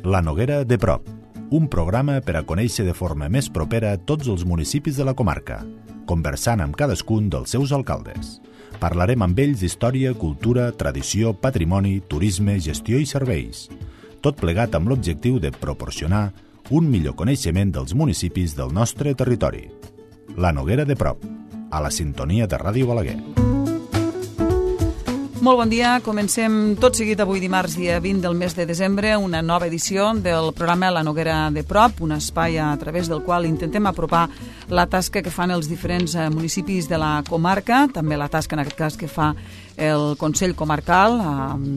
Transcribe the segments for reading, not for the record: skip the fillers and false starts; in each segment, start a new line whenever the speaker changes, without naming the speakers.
La Noguera de prop, un programa per a conèixer de forma més propera tots els municipis de la comarca, conversant amb cadascun dels seus alcaldes. Parlarem amb ells d'història, cultura, tradició, patrimoni, turisme, gestió i serveis. Tot plegat amb l'objectiu de proporcionar un millor coneixement dels municipis del nostre territori. La Noguera de prop, a la sintonia de Ràdio Balaguer.
Molt bon dia, comencem tot seguit avui dimarts dia 20 del mes de desembre una nova edició del programa La Noguera de prop, un espai a través del qual intentem apropar la tasca que fan els diferents municipis de la comarca, també la tasca en aquest cas que fa el Consell Comarcal,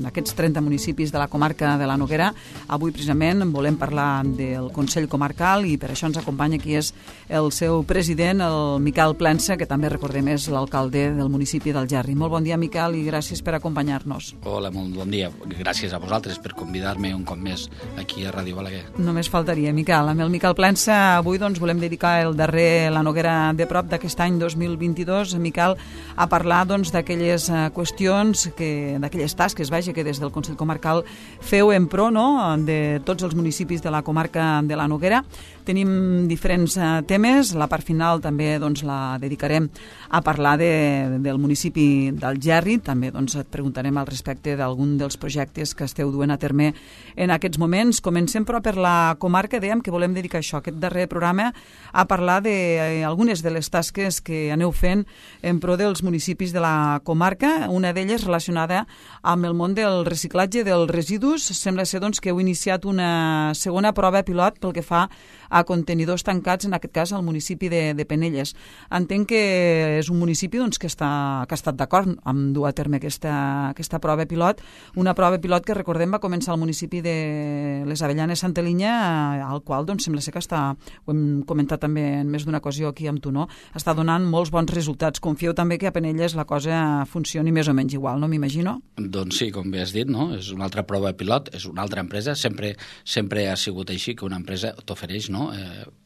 aquests 30 municipis de la comarca de la Noguera. Avui precisament volem parlar del Consell Comarcal i per això ens acompanya qui és el seu president, el Miquel Plensa, que també recordem és l'alcalde del municipi d'Algerri. Molt bon dia, Miquel, i gràcies per acompanyar-nos.
Hola, molt bon dia. Gràcies a vosaltres per convidar-me un cop més aquí a Ràdio Balaguer.
Només faltaria, Miquel. Amb el Miquel Plensa avui volem dedicar el darrer La Noguera de prop d'aquest any 2022, Miquel, a parlar d'aquelles qüestions, d'aquelles tasques, que des del Consell Comarcal feu en pro de tots els municipis de la comarca de la Noguera. Tenim diferents temes, la part final també la dedicarem a parlar del municipi d'Algerri, també et preguntarem al respecte d'algun dels projectes que esteu duent a terme en aquests moments. Comencem però per la comarca, dèiem que volem dedicar aquest darrer programa a parlar d'algunes de les tasques que aneu fent en pro dels municipis de la comarca, una d'elles relacionada amb el món del reciclatge dels residus. Sembla ser que heu iniciat una segona prova pilot pel que fa a contenidors tancats, en aquest cas al municipi de Penelles. Entenc que és un municipi que ha estat d'acord amb dur a terme aquesta prova pilot, una prova pilot que recordem va començar al municipi de les Avellanes Santa Linya, al qual sembla ser que ho hem comentat també en més d'una ocasió aquí amb tu, està donant molts bons resultats. Confieu també que a Penelles la cosa funcioni més o menys igual, no m'imagino?
Doncs sí, com bé has dit, és una altra prova pilot, és una altra empresa, sempre ha sigut així que una empresa t'ofereix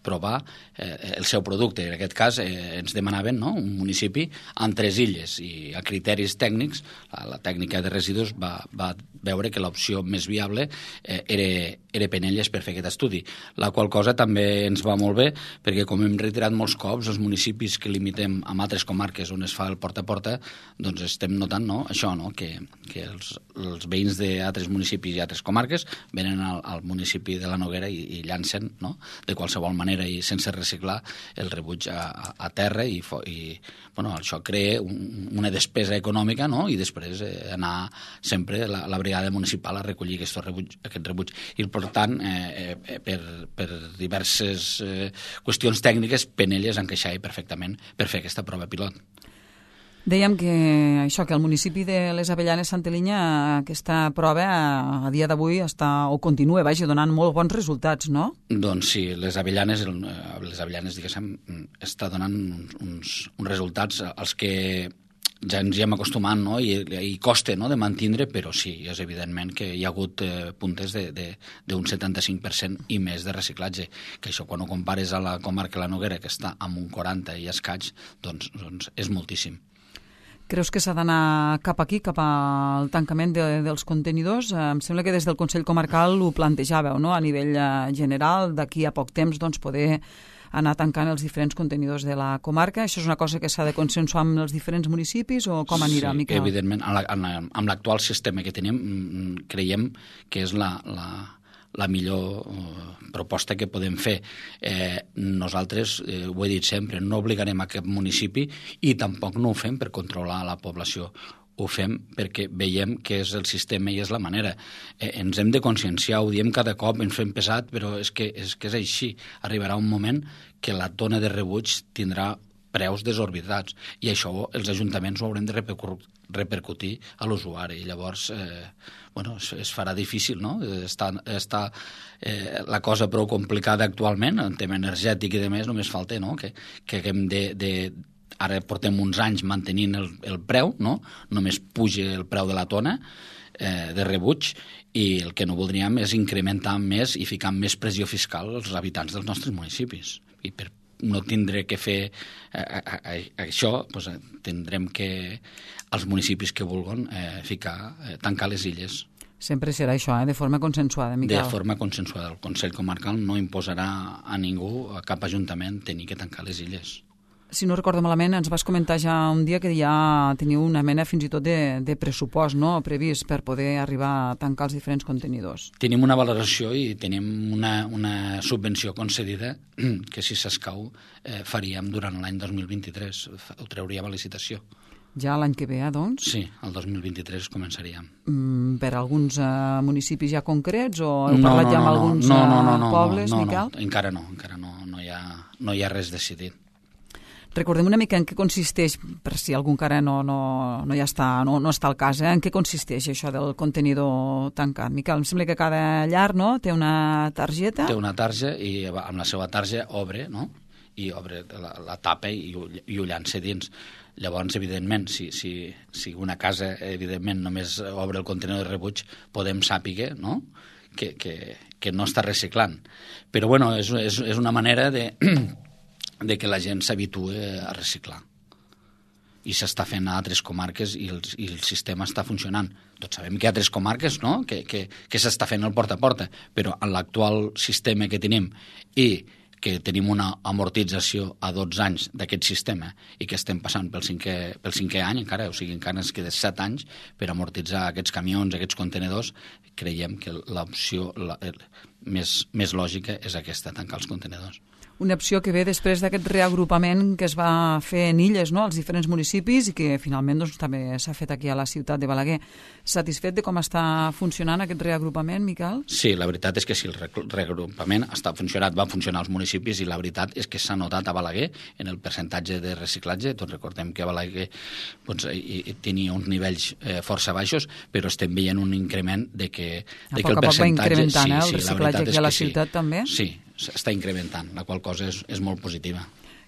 provar el seu producte. En aquest cas ens demanaven un municipi amb 3 illes i a criteris tècnics la tècnica de residus va veure que l'opció més viable era Penelles per fer aquest estudi, la qual cosa també ens va molt bé perquè, com hem reiterat molts cops, els municipis que limitem amb altres comarques on es fa el porta a porta, estem notant això, que els veïns d'altres municipis i altres comarques venen al municipi de la Noguera i llancen de qualsevol manera i sense reciclar el rebuig a terra i això crea una despesa econòmica i després anar sempre la brigada municipal a recollir aquest rebuig. I per tant, per diverses qüestions tècniques, Penelles encaixava perfectament per fer aquesta prova pilot.
Dèiem que el municipi de les Avellanes Santa Linya, aquesta prova a dia d'avui continua donant molt bons resultats, no?
Doncs sí, les Avellanes diguéssim, està donant uns resultats als que ja ens hi hem acostumat i costa de mantenir, però sí, és evidentment que hi ha hagut puntes d'un 75% i més de reciclatge, que això quan ho compares a la comarca de la Noguera, que està amb un 40 i escaig, doncs és moltíssim.
Creus que s'ha d'anar cap aquí, cap al tancament dels contenidors? Em sembla que des del Consell Comarcal ho plantejàveu, a nivell general, d'aquí a poc temps poder anar tancant els diferents contenidors de la comarca. Això és una cosa que s'ha de consensuar amb els diferents municipis o com anirà, Miquel?
Sí, evidentment. Amb l'actual sistema que tenim, creiem que és la millor proposta que podem fer. Nosaltres, ho he dit sempre, no obligarem a cap municipi i tampoc no ho fem per controlar la població. Ho fem perquè veiem que és el sistema i és la manera. Ens hem de conscienciar, ho diem cada cop, ens fem pesat, però és que és així. Arribarà un moment que la tona de rebuig tindrà preus desorbitats i això els ajuntaments ho haurem de repercutir a l'usuari. Llavors, es farà difícil, no? Està la cosa prou complicada actualment, en tema energètic i demés, només falta que haguem ara portem uns anys mantenint el preu, només puja el preu de la tona de rebuig i el que no voldríem és incrementar més i ficar més pressió fiscal als habitants dels nostres municipis. I per no tindré que fer això, tindrem que els municipis que vulguin tancar les illes.
Sempre serà això, de forma consensuada, Miquel.
De forma consensuada. El Consell Comarcal no imposarà a ningú, a cap ajuntament, tenir que tancar les illes.
Si no recordo malament, ens vas comentar ja un dia que ja teniu una mena fins i tot de pressupost, no?, previst per poder arribar a tancar els diferents contenidors.
Tenim una valoració i tenim una subvenció concedida que, si s'escau, faríem durant l'any 2023. Ho trauríem a licitació.
Ja l'any que ve, doncs?
Sí, el 2023 començaríem.
Per alguns municipis ja concrets o heu parlat ja amb alguns pobles, Miquel?
No, encara no hi ha res decidit.
Recordem una mica en què consisteix, per si algú encara no està al cas, en què consisteix això del contenidor tancat. Miquel, em sembla que cada llar, no?, té una targeta.
Té una tarja i amb la seva tarja obre, no?, i obre la tapa i ho llança dins. Llavors, evidentment, si una casa, evidentment, només obre el contenidor de rebuig, podem saber, no?, que no està reciclant. Però, bueno, és una manera de que la gent s'habitue a reciclar. I s'està fent a altres comarques i el sistema està funcionant. Tots sabem que hi ha altres comarques, no?, que s'està fent el porta a porta, però en l'actual sistema que tenim i que tenim una amortització a 12 anys d'aquest sistema i que estem passant pel cinquè any encara, o sigui, encara ens queda 7 anys per amortitzar aquests camions, aquests contenedors, creiem que l'opció més lògica és aquesta, tancar els contenedors.
Una opció que ve després d'aquest reagrupament que es va fer en illes, no?, als diferents municipis i que finalment doncs, també s'ha fet aquí a la ciutat de Balaguer. Satisfet de com està funcionant aquest reagrupament, Miquel?
Sí, la veritat és que sí, el reagrupament va funcionar als municipis i la veritat és que s'ha notat a Balaguer en el percentatge de reciclatge. Tots recordem que a Balaguer doncs, tenia uns nivells força baixos, però estem veient un increment de que el percentatge... A poc va incrementant,
el reciclatge aquí a la ciutat també?
Sí, s'està incrementant, la qual cosa és molt positiva.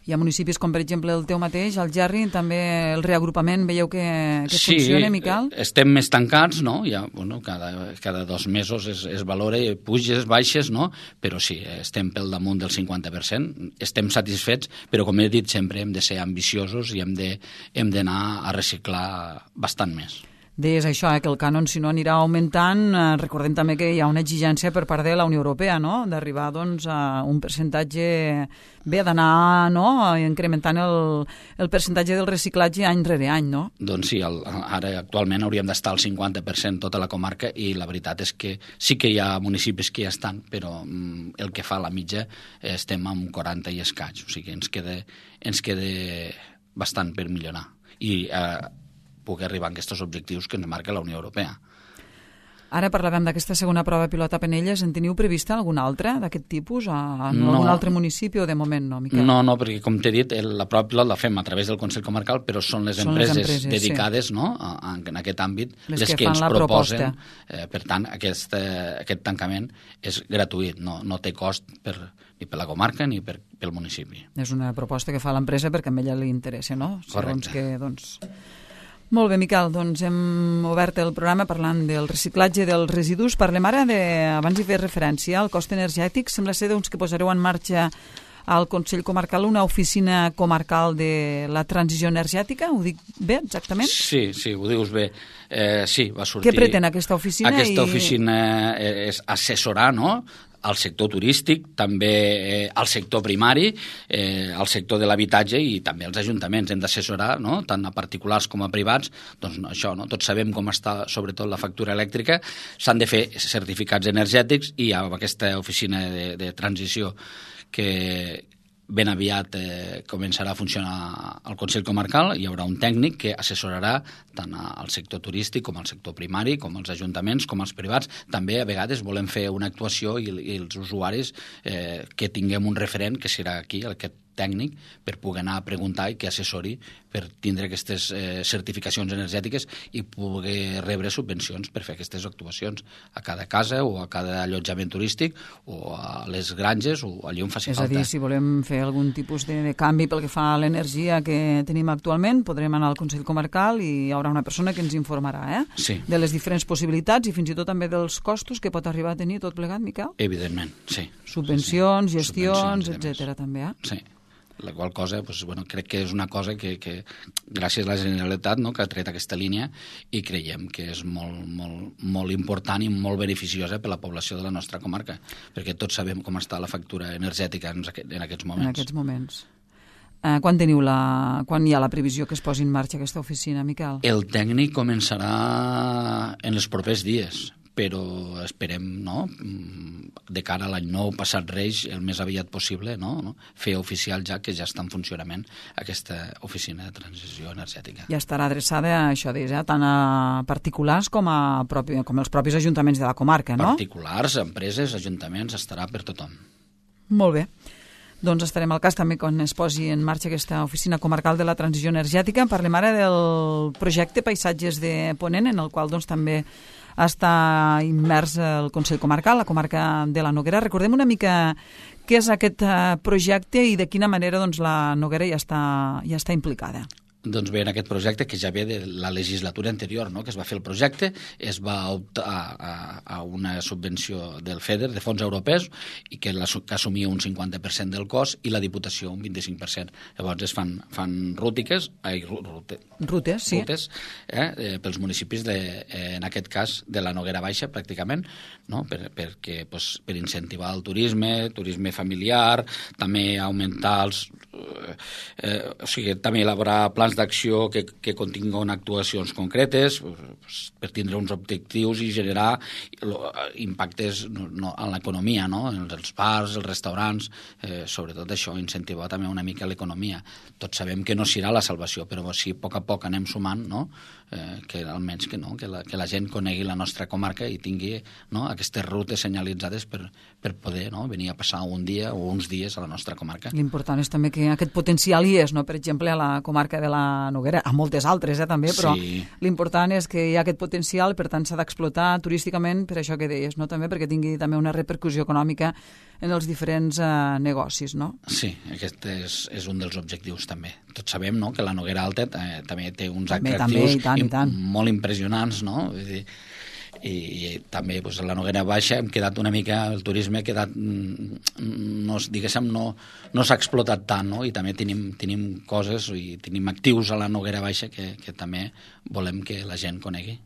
Hi ha municipis com, per exemple, el teu mateix, el Gerri, també el reagrupament, veieu que funciona, Miquel?
Sí, estem més tancats, no? Ja, bueno, cada 2 mesos es valora puges, baixes, no? Però sí, estem pel damunt del 50%, estem satisfets, però com he dit sempre hem de ser ambiciosos i hem d'anar a reciclar bastant més.
Deies això, que el cànon, si no, anirà augmentant. Recordem també que hi ha una exigència per part de la Unió Europea, no?, d'arribar doncs, a un percentatge... Bé, d'anar, no?, incrementant el percentatge del reciclatge any rere any, no?
Doncs sí, ara actualment hauríem d'estar al 50% tota la comarca i la veritat és que sí que hi ha municipis que ja estan, però el que fa la mitja estem amb 40 i escaig, o sigui, ens queda bastant per millorar. I poder arribar a aquests objectius que ens marca la Unió Europea.
Ara parlàvem d'aquesta segona prova pilot a Penelles. En teniu prevista alguna altra d'aquest tipus? En algun altre municipi o de moment no, Miquel?
No, perquè com t'he dit, la prova pilot la fem a través del Consell Comarcal, però són les empreses dedicades, sí, no, en aquest àmbit les que ens proposen. Per tant, aquest tancament és gratuït, no té cost ni per la comarca ni pel municipi.
És una proposta que fa l'empresa perquè a ella li interessa, no?
Correcte.
Segons que, doncs... Molt bé, Miquel, doncs hem obert el programa parlant del reciclatge dels residus. Parlem ara abans hi fer referència al cost energètic. Sembla ser doncs, que posareu en marxa al Consell Comarcal una oficina comarcal de la transició energètica. Ho dic bé, exactament?
Sí, ho dius bé. Sí, va sortir...
Què pretén aquesta oficina?
Aquesta oficina és assessorar, no?, al sector turístic, també al sector primari, al sector de l'habitatge i també als ajuntaments. Hem d'assessorar, no?, tant a particulars com a privats. Doncs això, no? Tots sabem com està sobretot la factura elèctrica. S'han de fer certificats energètics i amb aquesta oficina de transició que ben aviat començarà a funcionar al Consell Comarcal. Hi haurà un tècnic que assessorarà tant al sector turístic com al sector primari, com als ajuntaments, com als privats. També a vegades volem fer una actuació i els usuaris que tinguem un referent, que serà aquí, aquest tècnic, per poder anar a preguntar i que assessori per tindre aquestes certificacions energètiques i poder rebre subvencions per fer aquestes actuacions a cada casa o a cada allotjament turístic o a les granges o allà on faci falta.
És a dir, si volem fer algun tipus de canvi pel que fa a l'energia que tenim actualment, podrem anar al Consell Comarcal i hi haurà una persona que ens informarà
sí,
de les diferents possibilitats i fins i tot també dels costos que pot arribar a tenir tot plegat, Miquel?
Evidentment, sí.
Subvencions, gestions, etcètera, també,
Sí. La qual cosa, crec que és una cosa que gràcies a la Generalitat, no?, que ha tret aquesta línia, i creiem que és molt important i molt beneficiosa per la població de la nostra comarca, perquè tots sabem com està la factura energètica en aquests moments.
En aquests moments. Quan hi ha la previsió que es posi en marxa aquesta oficina, Miquel?
El tècnic començarà en els propers dies, però esperem, no?, de cara a l'any nou, passat Reis, el més aviat possible, no?, fer oficial ja que ja està en funcionament aquesta oficina de transició energètica.
Ja estarà adreçada a això, tant a particulars com els propis ajuntaments de la comarca, no?
Particulars, empreses, ajuntaments, estarà per tothom.
Molt bé. Doncs estarem al cas també quan es posi en marxa aquesta oficina comarcal de la transició energètica. Parlem ara del projecte Paisatges de Ponent, en el qual doncs també està immers el Consell Comarcal, la comarca de la Noguera. Recordem una mica què és aquest projecte i de quina manera doncs, la Noguera ja està implicada.
Doncs bé, en aquest projecte, que ja ve de la legislatura anterior, no?, que es va fer el projecte, es va optar a una subvenció del FEDER, de fons europeus, i que assumia un 50% del cost i la Diputació un 25%. Llavors es fan rutes, sí, pels municipis, en aquest cas, de la Noguera Baixa, pràcticament, no?, perquè per incentivar el turisme familiar, també augmentar també elaborar plans d'acció que continguin actuacions concretes per tindre uns objectius i generar impactes en l'economia, no?, en els bars, els restaurants, sobretot això, incentivar també una mica l'economia. Tots sabem que no serà la salvació, però si a poc anem sumant, no?, que almenys que la gent conegui la nostra comarca i tingui, no?, aquestes rutes senyalitzades per poder, no?, venir a passar un dia o uns dies a la nostra comarca.
L'important és també que aquest potencial hi és, no?, per exemple, a la comarca de la Noguera, a moltes altres també, però sí, l'important és que hi ha aquest potencial, per tant s'ha d'explotar turísticament, per això que deies, no?, també perquè tingui també una repercussió econòmica en els diferents negocis, no?
Sí, aquest és un dels objectius també. Tots sabem, no?, que la Noguera Alta també té uns atractius molt impressionants, no? Vull dir, i també a la Noguera Baixa hem quedat una mica, el turisme ha quedat, no s'ha explotat tant, no?, i també tenim coses i tenim actius a la Noguera Baixa que també volem que la gent conegui.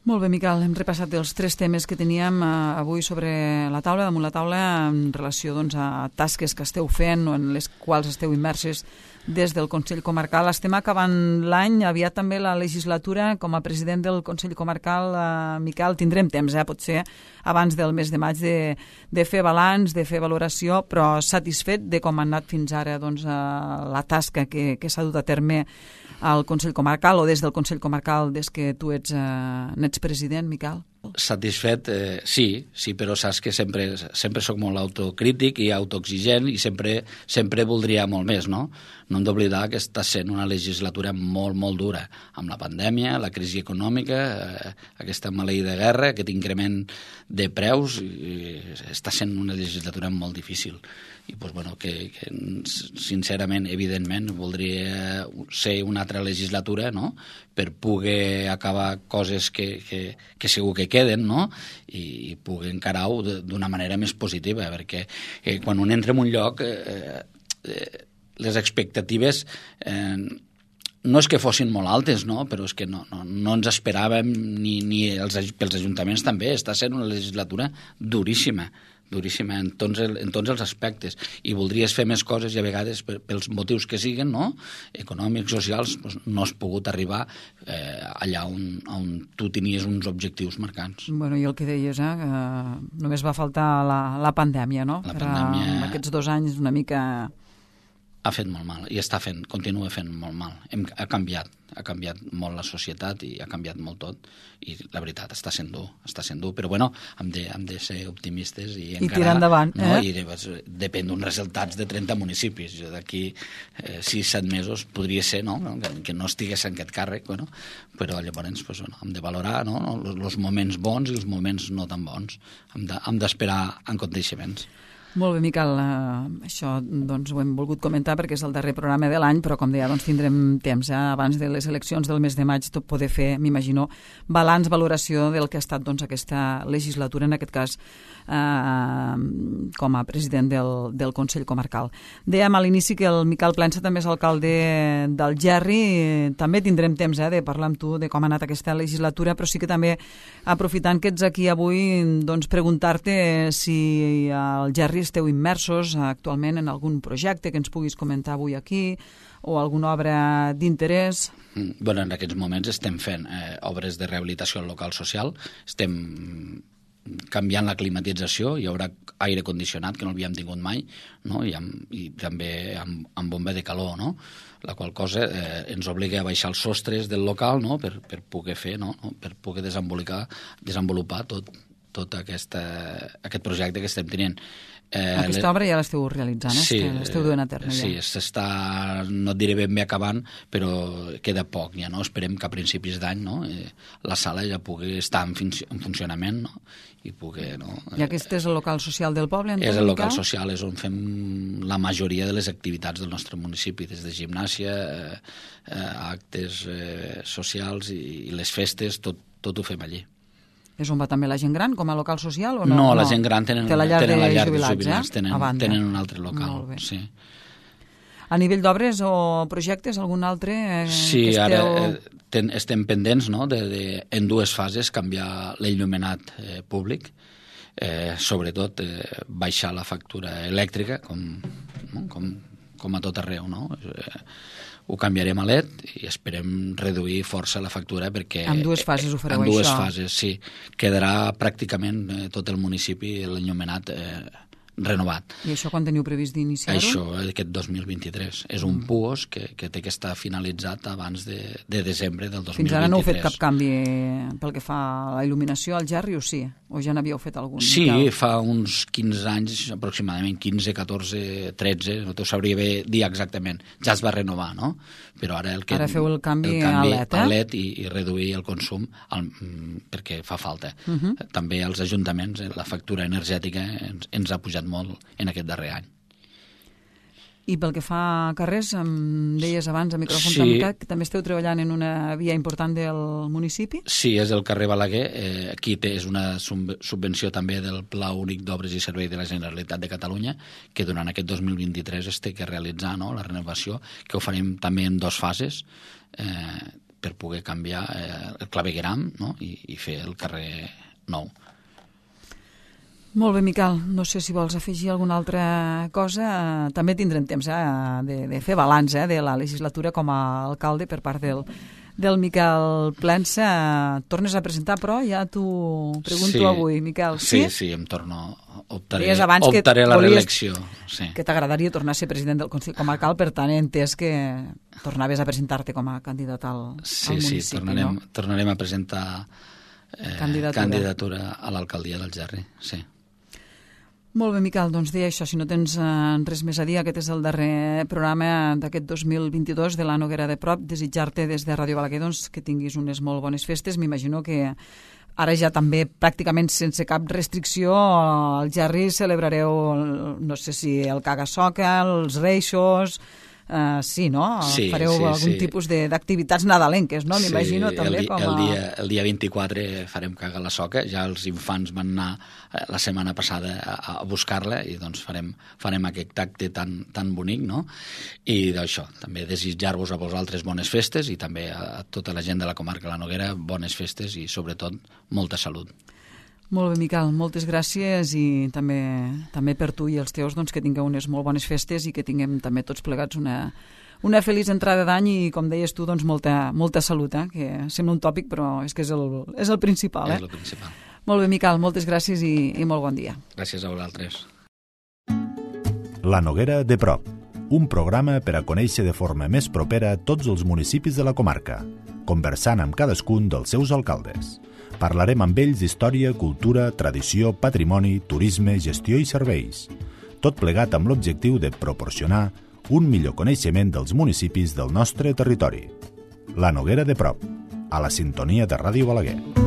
Molt bé, Miquel, hem repassat els 3 temes que teníem avui sobre la taula, damunt la taula, en relació doncs, a tasques que esteu fent o en les quals esteu immerses des del Consell Comarcal. Estem acabant l'any, aviat també la legislatura. Com a president del Consell Comarcal, Miquel, tindrem temps, potser abans del mes de maig, de fer balanç, de fer valoració, però satisfet de com ha anat fins ara doncs, la tasca que s'ha dut a terme al Consell Comarcal o des del Consell Comarcal des que tu n'ets president, Miquel?
Satisfet, sí, però saps que sempre soc molt autocrític i autoexigent i sempre voldria molt més, no? No hem d'oblidar que està sent una legislatura molt, molt dura, amb la pandèmia, la crisi econòmica, aquesta maleïda guerra, aquest increment de preus, està sent una legislatura molt difícil. I que sincerament, evidentment, voldria ser una altra legislatura, no?, per poder acabar coses que segur que queden, no?, i poder encarar-ho d'una manera més positiva, perquè quan un entra en un lloc les expectatives no és que fossin molt altes, no?, però és que no ens esperàvem, ni pels ajuntaments també. Està sent una legislatura duríssima en tots els aspectes, i voldries fer més coses i a vegades pels motius que siguen, no?, econòmics, socials, no has pogut arribar allà on tu tenies uns objectius marcats.
Bueno, i el que deies, només va faltar la pandèmia, no?
La pandèmia...
Aquests 2 anys una mica...
Ha fet molt mal, i continua fent molt mal. Ha canviat molt la societat i ha canviat molt tot, i la veritat està sent dur, però bueno, hem de ser optimistes i encarar,
tirar endavant,
no? I depèn d'uns resultats de 30 municipis. D'aquí 6-7 mesos podria ser, no?, que no estigués en aquest càrrec, bueno, però llavors hem de valorar, no?, els moments bons i els moments no tan bons. Hem d'esperar en aconteixements.
Molt bé, Miquel, això doncs, ho hem volgut comentar perquè és el darrer programa de l'any, però com deia, doncs, tindrem temps abans de les eleccions del mes de maig tot poder fer, m'imagino, balanç, valoració del que ha estat doncs, aquesta legislatura, en aquest cas com a president del Consell Comarcal. Dèiem a l'inici que el Miquel Plensa també és alcalde d'Algerri, també tindrem temps de parlar amb tu de com ha anat aquesta legislatura, però sí que també, aprofitant que ets aquí avui, doncs preguntar-te si Algerri esteu immersos actualment en algun projecte que ens puguis comentar avui aquí o alguna obra d'interès.
Bueno, en aquests moments estem fent obres de rehabilitació al local social, estem canviant la climatització, hi haurà aire condicionat, que no l'havíem tingut mai, no? I també amb bomba de calor, no? La qual cosa ens obliga a baixar els sostres del local, no? per poder fer, no? Per poder desenvolupar tot aquest projecte que estem tenint.
Aquesta obra ja l'esteu realitzant,
sí,
l'esteu duent a terme.
Sí, s'està, no et diré ben bé acabant, però queda poc ja, no? Esperem que a principis d'any, no? La sala ja pugui estar en funcionament, no? I poder, no?
I aquest és el local social del poble?
És el local social, és on fem la majoria de les activitats del nostre municipi, des de gimnàsia, actes socials i les festes, tot ho fem allí.
És on va també la gent gran, com a local social? O no?
No, la gent gran tenen la llar de jubilats, tenen un altre local.
Molt bé.
Sí.
A nivell d'obres o projectes, algun altre?
Sí, ara estem pendents, no?, en dues fases canviar l'enllumenat públic, sobretot baixar la factura elèctrica, com a tot arreu, no? Ho canviarem a LED i esperem reduir força la factura perquè...
En dues fases ho fareu,
això? En dues
això?
fases, sí. Quedarà pràcticament tot el municipi l'enllumenat renovat.
I això quan teniu previst d'iniciar-ho?
Això, aquest 2023. És un PUOS que té que estar finalitzat abans de desembre del 2023.
Fins ara no heu fet cap canvi pel que fa a la il·luminació al Gerri, o sí? O ja n'havíeu fet algun?
Sí, fa uns 15 anys, aproximadament 15, 14, 13, no t'ho sabria bé dir exactament. Ja es va renovar, no? Però ara
ara feu el canvi a LED,
a LED i reduir el consum perquè fa falta. També als ajuntaments la factura energètica ens ha pujat molt en aquest darrer any.
I pel que fa a carrers, em deies abans a micròfon tancat que també esteu treballant en una via important del municipi?
Sí, és el carrer Balaguer. Aquí és una subvenció també del Pla Únic d'Obres i Serveis de la Generalitat de Catalunya, que durant aquest 2023 es té que realitzar, no?, la renovació, que ho farem també en dues fases, per poder canviar el clavegueram, no?, i fer el carrer nou.
Molt bé, Miquel. No sé si vols afegir alguna altra cosa. També tindrem temps de fer balanç de la legislatura com a alcalde per part del Miquel Plensa. Tornes a presentar, però ja t'ho pregunto avui, Miquel.
Sí, em torno. Optaré a la reelecció. Sí.
Que t'agradaria tornar a ser president del Consell Comarcal, per tant he entès que tornaves a presentar-te com a candidat al municipi.
Sí, tornarem a presentar candidatura a l'alcaldia d'Algerri, sí.
Molt bé, Miquel, doncs deia això, si no tens res més a dir, aquest és el darrer programa d'aquest 2022 de la Noguera de Prop. Desitjar-te des de Ràdio Balaguer doncs, que tinguis unes molt bones festes. M'imagino que ara ja també pràcticament sense cap restricció al Gerri celebrareu, no sé si el caga-soca, els reixos... sí, no? Fareu algun tipus d'activitats nadalenques, no? M'imagino també com a...
El dia 24 farem caga la soca, ja els infants van anar la setmana passada a buscar-la i doncs farem aquest acte tan bonic, no? I d'això, també desitjar-vos a vosaltres bones festes i també a tota la gent de la comarca de la Noguera bones festes i sobretot molta salut.
Molt bé, Miquel, moltes gràcies i també per tu i els teus doncs, que tingueu unes molt bones festes i que tinguem també tots plegats una feliç entrada d'any i, com deies tu, doncs, molta salut, que sembla un tòpic però és que és el principal.
És el principal.
Molt bé, Miquel, moltes gràcies i molt bon dia.
Gràcies a vosaltres.
La Noguera de Prop, un programa per a conèixer de forma més propera tots els municipis de la comarca, conversant amb cadascun dels seus alcaldes. Parlarem amb ells d'història, cultura, tradició, patrimoni, turisme, gestió i serveis. Tot plegat amb l'objectiu de proporcionar un millor coneixement dels municipis del nostre territori. La Noguera de Prop, a la sintonia de Ràdio Balaguer.